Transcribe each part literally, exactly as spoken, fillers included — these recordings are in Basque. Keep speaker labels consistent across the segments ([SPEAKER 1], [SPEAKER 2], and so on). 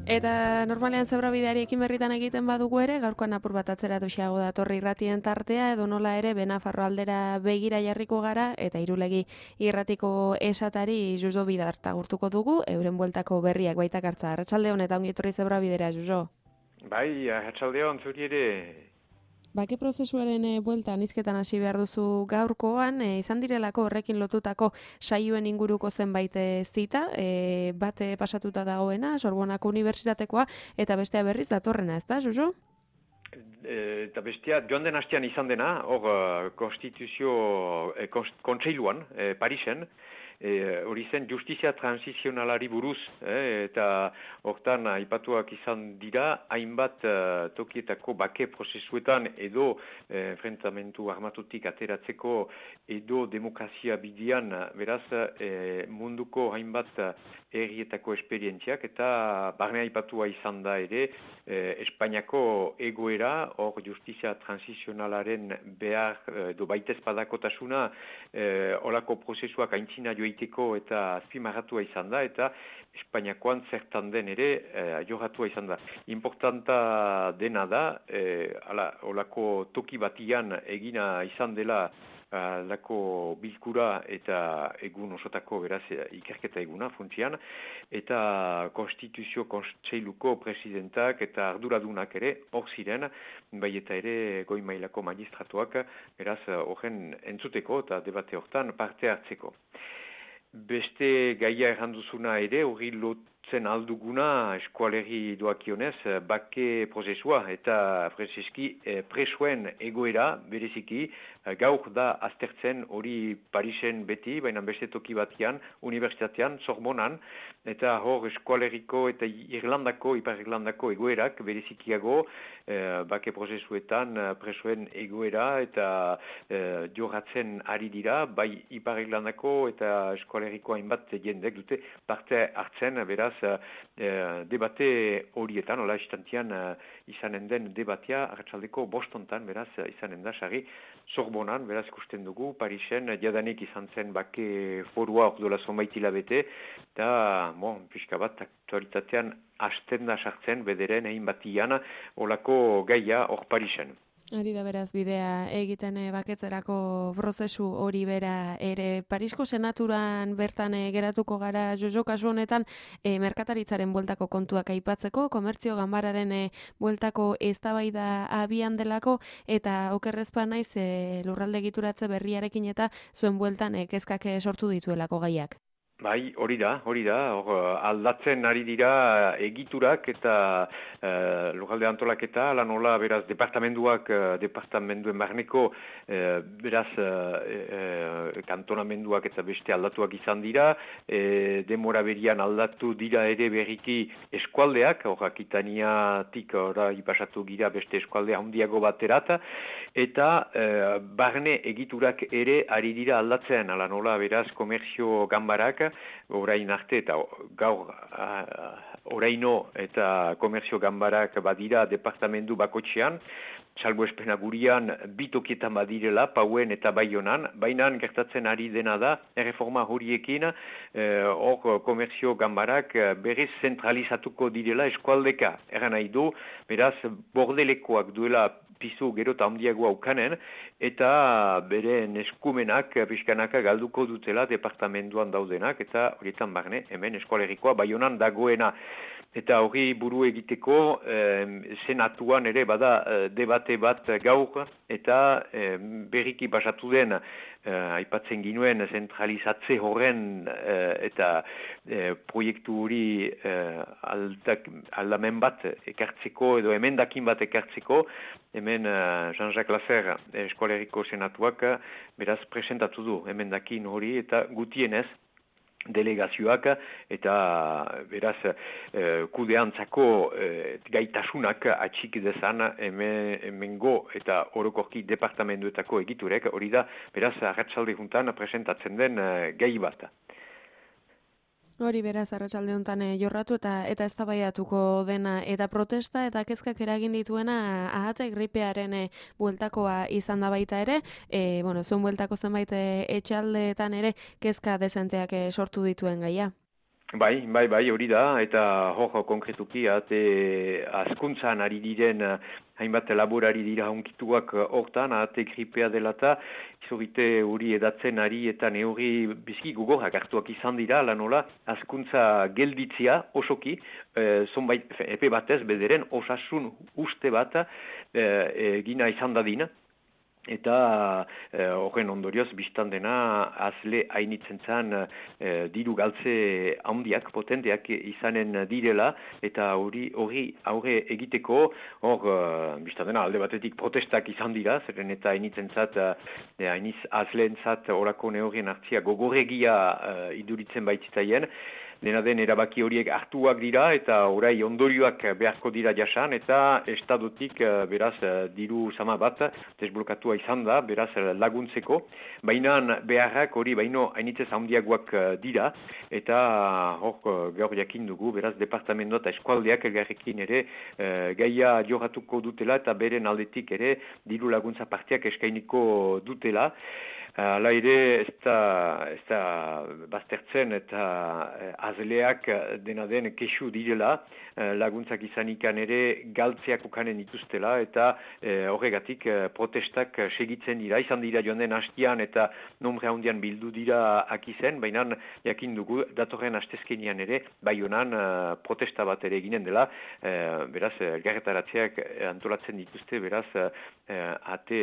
[SPEAKER 1] Eta normalean zebrabideari ekin berritan egiten badugu ere, gaurkoan apur bat atzeratu xeago datorri irratien tartea, edo nola ere Benafarro aldera begira jarriko gara, eta Irulegi irratiko esatari Juzo Bidarta gurtuko dugu, euren bueltako berriak baitak hartza. Arratsalde hon eta ongi etorri zebrabidera, Juzo.
[SPEAKER 2] Bai, arratsalde hon zuri ere.
[SPEAKER 1] Bake prozesuaren e, bueltan hizketan hasi behar duzu gaurkoan, e, izan direlako horrekin lotutako saioen inguruko zenbait e, zita, e, bate pasatuta dagoena, Sorbonako Unibertsitatekoa, eta bestea berriz datorrena, ez da, Juzo?
[SPEAKER 2] E, eta bestea, joan den hastean izan dena, hor uh, konstituzio e, kontseiluan, e, Parisen, hori e, zen justizia transizionalari buruz, eh, eta hortan aipatuak izan dira, hainbat uh, tokietako bake prozesuetan edo eh, enfrentamentu armatutik ateratzeko edo demokrazia bidean, beraz eh, munduko hainbat herrietako esperientziak, eta barne aipatua izan da ere eh, Espainiako egoera, hor justizia transizionalaren behar edo baitezpadakotasuna eh, olako prozesuak aintzina joiteko eta azpimarratua izan da, eta Espainiakoan zertan den ere eh, joratua izan da. Importanta dena da, eh, ala, olako toki batian egina izan dela lako bilkura eta egun osotako beraz ikerketa eguna funtzian, eta konstituzio kontseiluko presidentak eta arduradunak ere hor ziren, bai eta ere goi mailako magistratuak beraz horren entzuteko eta debate hortan parte hartzeko. Beste gaia erranduzuna ere, hori lotzen alduguna eskualerri doakionez, bake prozesua eta freseski presoen egoera bereziki, gaur da aztertzen hori Parisen beti, baina beste toki batian, unibertsitatean, Sorbonan, eta hor eskualerriko eta Irlandako, Ipar Irlandako egoerak berezikiago, eh, bake prozesuetan presoen egoera eta eh, joratzen ari dira, bai Ipar Irlandako eta eskualerriko hainbat jendek dute parte hartzen, beraz, eh, debate horietan, hola istantian eh, izanen den debatea, arratsaldeko bostontan, beraz, izanen da, sari, Sorbonan, beraz ikusten dugu, Parisen, jadanik izan zen bake forua ordola zonbait hilabete, eta, bon, pixka bat, aktualitatean hasten da sartzen bederen egin batian olako gaia hor Parisen.
[SPEAKER 1] Ari da beraz bidea egiten e, baketzerako prozesu hori bera ere Parisko senaturan bertan e, geratuko gara Jojo kasu honetan e, merkataritzaren bueltako kontuak aipatzeko, komertzio ganbararen e, bueltako eztabaida abian delako eta okerrezpa naiz e, lurralde egituratze berriarekin eta zuen bueltan e, kezkak sortu dituelako gaiak.
[SPEAKER 2] Bai, hori da, hori da, hor aldatzen ari dira egiturak eta uh, lurralde antolaketa, ala nola beraz departamenduak, uh, departamenduen barneko uh, beraz uh, uh, kantonamenduak eta beste aldatuak izan dira, e, demora berian aldatu dira ere berriki eskualdeak, hor Akitaniatik ora ipasatu gira beste eskualdea handiago baterat, eta uh, barne egiturak ere ari dira aldatzen, ala nola beraz komerzio ganbarak, orain arte eta gaur uh, oraino eta komerzio ganbarak badira departamendu bakotxean, salbuespena gurian bitokietan badirela, Pauen eta Baionan, baina gertatzen ari dena da, erreforma horiekin, hor eh, komerzio ganbarak berez zentralizatuko direla eskualdeka. Erran nahi du, beraz, bordelekoak duela pizu gero eta handiagoa ukanen, eta bere eskumenak pixkanaka galduko dutela departamentuan daudenak, eta horietan barne, hemen eskualerikoa Baionan dagoena. Eta hori buru egiteko eh, senatuan ere bada eh, debate bat gaur eta eh, berriki basatu den eh, aipatzen ginuen zentralizatze horren eh, eta eh, proiektu hori eh, aldak, aldamen bat ekartzeko edo emendakin bat ekartzeko, hemen eh, Jean-Jacques Lasser eskualeriko senatuak beraz presentatu du emendakin hori eta gutienez delegazioak eta beraz eh, kudeantzako eh, gaitasunak atxik dezan hemen, hemengo eta orokorki departamentuetako egiturek, hori da beraz arratsalde juntan presentatzen den eh, gai bat.
[SPEAKER 1] Hori beraz arratsalde hontan e, jorratu eta eta eztabaidatuko dena eta protesta eta kezkak eragin dituena ahate gripearen e, bueltakoa izan da baita ere, e, bueno, zuen bueltako zenbait e, etxaldeetan ere kezka dezenteak e, sortu dituen gaia.
[SPEAKER 2] Bai, bai, bai, hori da, eta hor konkretuki, ate askuntzan ari diren hainbat laborari dira honkituak hortan, ate gripea dela eta izorite hori edatzen ari eta neurri bizki gugorrak hartuak izan dira, lanola, askuntza gelditzia osoki, e, zonbait, epe batez, bederen osasun uste bat e, gina izan dadin. Eta horren e, ondorioz biztan dena azle hainitzen zan e, diru galtze handiak, potenteak izanen direla, eta hori hori aurre egiteko hor e, biztan dena alde batetik protestak izan dira, zeren eta hainitzen zat, e, hainiz azleen zat horako neurrien hartzia gogorregia e, iduritzen baitzitaien. Dena den erabaki horiek hartuak dira eta orai ondorioak beharko dira jasan eta estadotik beraz diru sama bat desblokatua izan da, beraz laguntzeko. Baina beharrak hori baino hainitzez handiagoak dira eta hor gaur jakin dugu, beraz departamentoa eta eskualdeak elgarrekin ere e, gaia joratuko dutela eta beren aldetik ere diru laguntza partiak eskainiko dutela. Hala ere, ez da, ez da baztertzen eta azleak dena den kexu direla, laguntzak izanikan ere galtzeak ukanen dituztela eta e, horregatik protestak segitzen dira. Izan dira joan den hastian eta nombre handian bildu dira akizen, baina jakin dugu datorren hastezkenian ere, bai honan protesta bat ere eginen dela, e, beraz, elgarretaratzeak antolatzen dituzte, beraz, e, ate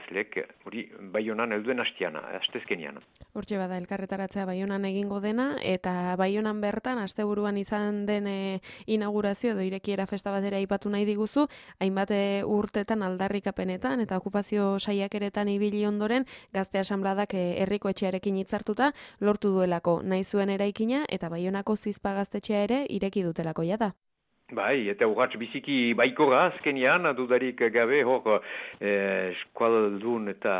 [SPEAKER 2] azlek, hori bai honan elduen hastiana, hastezkenian.
[SPEAKER 1] Hortxe bada, elkarretaratzea Baionan egingo dena, eta Baionan bertan, asteburuan izan den e, inaugurazio edo irekiera festa batera aipatu nahi diguzu, hainbat urtetan aldarrikapenetan eta okupazio saiakeretan ibili ondoren, gazte asanbladak herriko etxearekin hitzartuta lortu duelako nahi zuen eraikina eta Baionako Zizpa gaztetxea ere ireki dutelako jada.
[SPEAKER 2] Bai, eta urratx biziki baikora azkenian, dudarik gabe hor eh, eskualdun eta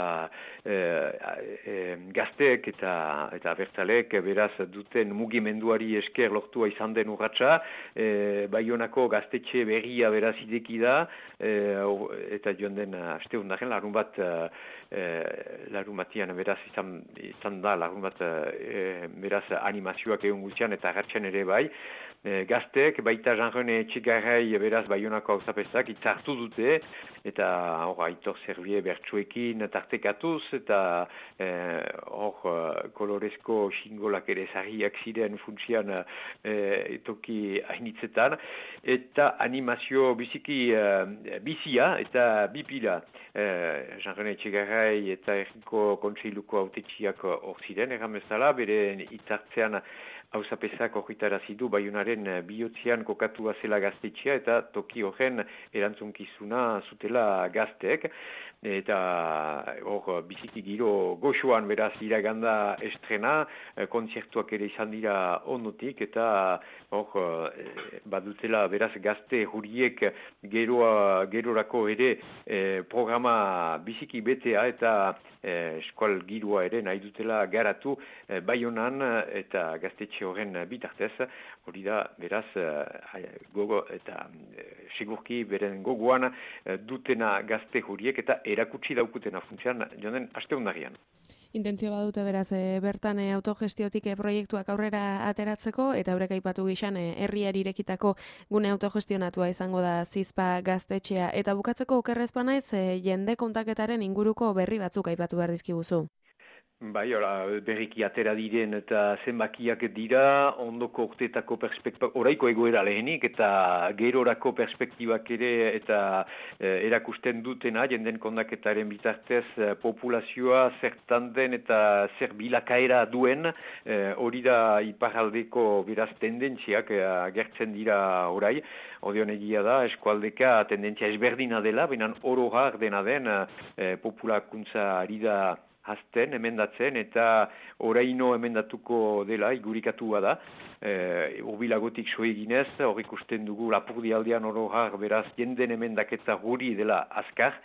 [SPEAKER 2] eh, eh, gazteek eta, eta bertzalek beraz duten mugimenduari esker lortua izan den urratxa, eh, Baionako gaztetxe berria beraz ideki da, eh, eta joan den aste hundaren larun bat, eh, larun batian beraz izan, izan da larun bat eh, beraz animazioak egun guztian eta agertzen ere bai, E, gazteek, baita Jean-René Etxegarrai beraz Baionako hauzapezak itzartu dute, eta hor Aitor Zerbie bertsuekin tartekatuz, eta hor e, kolorezko xingolak ere zarriak ziren funtsian e, toki hainitzetan, eta animazio biziki e, bizia eta bipila. E, Jean-René Etxegarrai eta Erriko Kontseiluko autetxiak hor ziren, erran bezala, bere itzartzean hauzapezak horretarazi du Baionaren bihotzean kokatua zela gaztetxea eta toki horren erantzunkizuna zutela gazteek. Eta hor biziki giro goxoan beraz iraganda estrena, kontzertuak ere izan dira ondotik eta hor badutela beraz gazte huriek geroa, gerorako ere eh, programa biziki betea eta eh, eskual giroa ere nahi dutela garatu eh, Baionan eta gaztetxe horren bitartez, hori da beraz eh, gogo eta eh, segurki beren gogoan eh, dutena gazte huriek eta erakutsi daukutena funtsean joan aste hundarian.
[SPEAKER 1] Intentzio badute beraz e, bertan e, autogestiotik e, proiektuak aurrera ateratzeko eta horrek aipatu gixan e, herriari irekitako gune autogestionatua izango da Zizpa gaztetxea eta bukatzeko okerrez banaiz e, jende kontaketaren inguruko berri batzuk aipatu behar dizkiguzu.
[SPEAKER 2] Bai, ora, berriki atera diren eta zenbakiak dira, ondoko urteetako perspektiba, oraiko egoera lehenik eta gerorako perspektibak ere eta e, erakusten dutena, jenden kondaketaren bitartez e, populazioa zertan den eta zer bilakaera duen, hori e, da iparaldeko beraz tendentziak e, agertzen dira orai, Odion egia da, eskualdeka tendentzia ezberdina dela, benan orogar dena den e, populakuntza ari da hazten, emendatzen, eta oraino emendatuko dela, igurikatua da. E, urbilagotik so eginez, hor ikusten dugu lapurdi aldean orogar, beraz, jenden emendaketa guri dela azkar.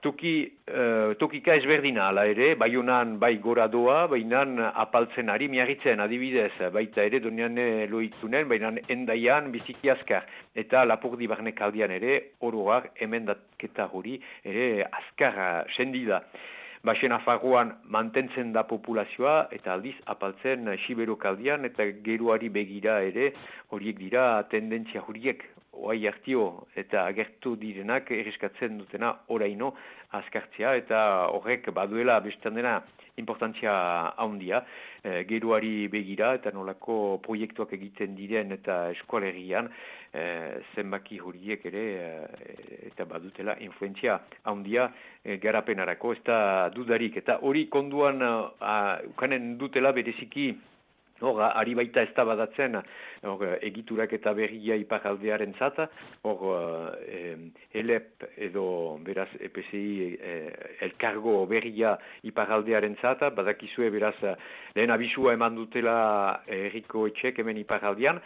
[SPEAKER 2] Toki, uh, tokika ezberdina, ala ere, Baionan bai gora doa, bainan apaltzen ari miarritzen, adibidez, baita ere donian loitunen, bainan endaian biziki azkar. Eta lapurdi barnek aldean ere, orogar emendaketa guri ere azkar sendi da. Basen Nafarroan mantentzen da populazioa eta aldiz apaltzen Siberokaldian eta geroari begira ere horiek dira tendentzia horiek oai hartio eta agertu direnak erreskatzen dutena oraino azkartzea eta horrek baduela bestan dena importantzia handia, e, geroari begira eta nolako proiektuak egiten diren eta eskualerian e, zenbaki horiek ere e, eta badutela influentzia handia e, garapenarako, ez da dudarik. Eta hori konduan a, ukanen dutela bereziki hor, ari baita ez da badatzen hor, egiturak eta berria iparaldearen zata, hor eh, elep edo beraz E P C I eh, elkargo berria iparaldearen zata, badakizue beraz lehen abisua eman dutela herriko etxek hemen iparaldean,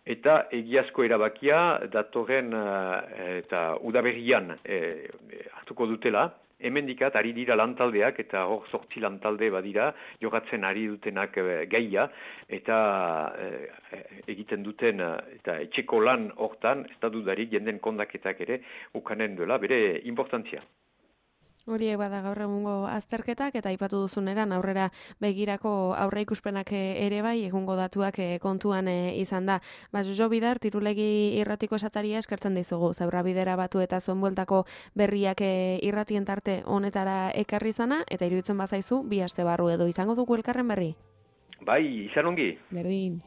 [SPEAKER 2] eta egiazko erabakia datorren eh, eta udaberrian eh, hartuko dutela. Hemendikat ari dira lantaldeak eta hor sortzi lantalde badira, jogatzen ari dutenak e, gaia eta e, egiten duten eta etxeko lan hortan, ez da dudarik jenden kondaketak ere ukanen duela, bere importantzia.
[SPEAKER 1] Horiek bada gaur egungo azterketak eta aipatu duzuneran aurrera begirako aurreikuspenak ere bai egungo datuak kontuan izan da. Ba, Jojo Bidar, Tirulegi irratiko esataria eskertzen dizugu. Zaurra bidera batu eta zuen bueltako berriak irratien tarte honetara ekarri zana eta iruditzen bazaizu bi aste barru edo izango dugu elkarren berri.
[SPEAKER 2] Bai, izan ongi.
[SPEAKER 1] Berdin.